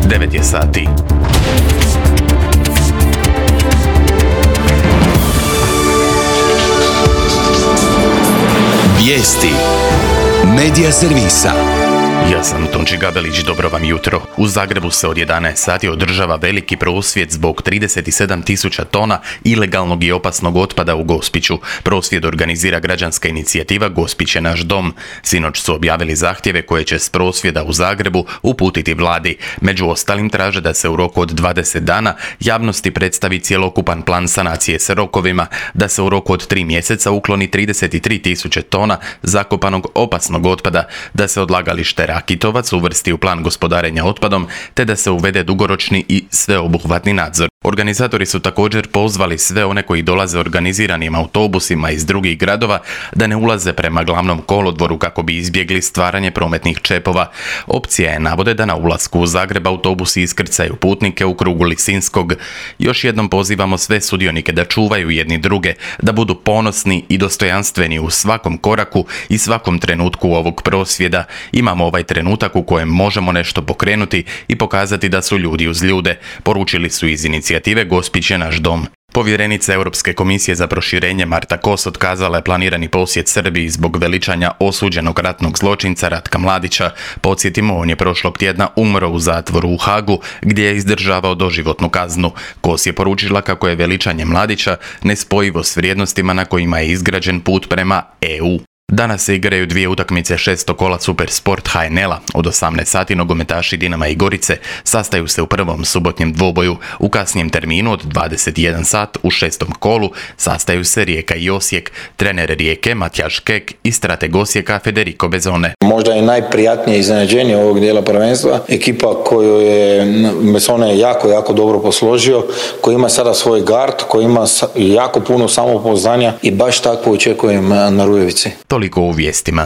9 je sati. Vijesti Medija servisa. Ja sam Tonči Gabelić, dobro vam jutro. U Zagrebu se od 11 sati održava veliki prosvjed zbog 37.000 tona ilegalnog i opasnog otpada u Gospiću. Prosvjed organizira građanska inicijativa Gospić je naš dom. Sinoć su objavili zahtjeve koje će s prosvjeda u Zagrebu uputiti vladi. Među ostalim traže da se u roku od 20 dana javnosti predstavi cjelokupan plan sanacije s rokovima, da se u roku od 3 mjeseca ukloni 33.000 tona zakopanog opasnog otpada, da se odlagalište Rakitovac uvrsti u plan gospodarenja otpadom, te da se uvede dugoročni i sveobuhvatni nadzor. Organizatori su također pozvali sve one koji dolaze organiziranim autobusima iz drugih gradova da ne ulaze prema glavnom kolodvoru kako bi izbjegli stvaranje prometnih čepova. Opcija je, navode, da na ulasku u Zagreb autobusi iskrcaju putnike u krugu Lisinskog. Još jednom pozivamo sve sudionike da čuvaju jedni druge, da budu ponosni i dostojanstveni u svakom koraku i svakom trenutku ovog prosvjeda. Imamo ovaj trenutak u kojem možemo nešto pokrenuti i pokazati da su ljudi uz ljude, poručili su iz inicijative Gospić je naš dom. Povjerenica Europske komisije za proširenje Marta Kos otkazala je planirani posjet Srbiji zbog veličanja osuđenog ratnog zločinca Ratka Mladića. Podsjetimo, on je prošlog tjedna umro u zatvoru u Hagu gdje je izdržavao doživotnu kaznu. Kos je poručila kako je veličanje Mladića nespojivo s vrijednostima na kojima je izgrađen put prema EU. Danas se igraju dvije utakmice šestokola Supersport HNL-a. Od 18 sati nogometaši Dinama i Gorice sastaju se u prvom subotnjem dvoboju. U kasnijem terminu od 21 sat u šestom kolu sastaju se Rijeka i Osijek. Trener Rijeke Matjaž Kek i strateg Osijeka Federico Bezone. Možda je najprijatnije iznenađenje ovog dijela prvenstva. Ekipa koju je Besone jako dobro posložio, koji ima sada svoj gard, koji ima jako puno samopouzdanja i baš tako očekujem na Rujevici. Toliko u vijestima.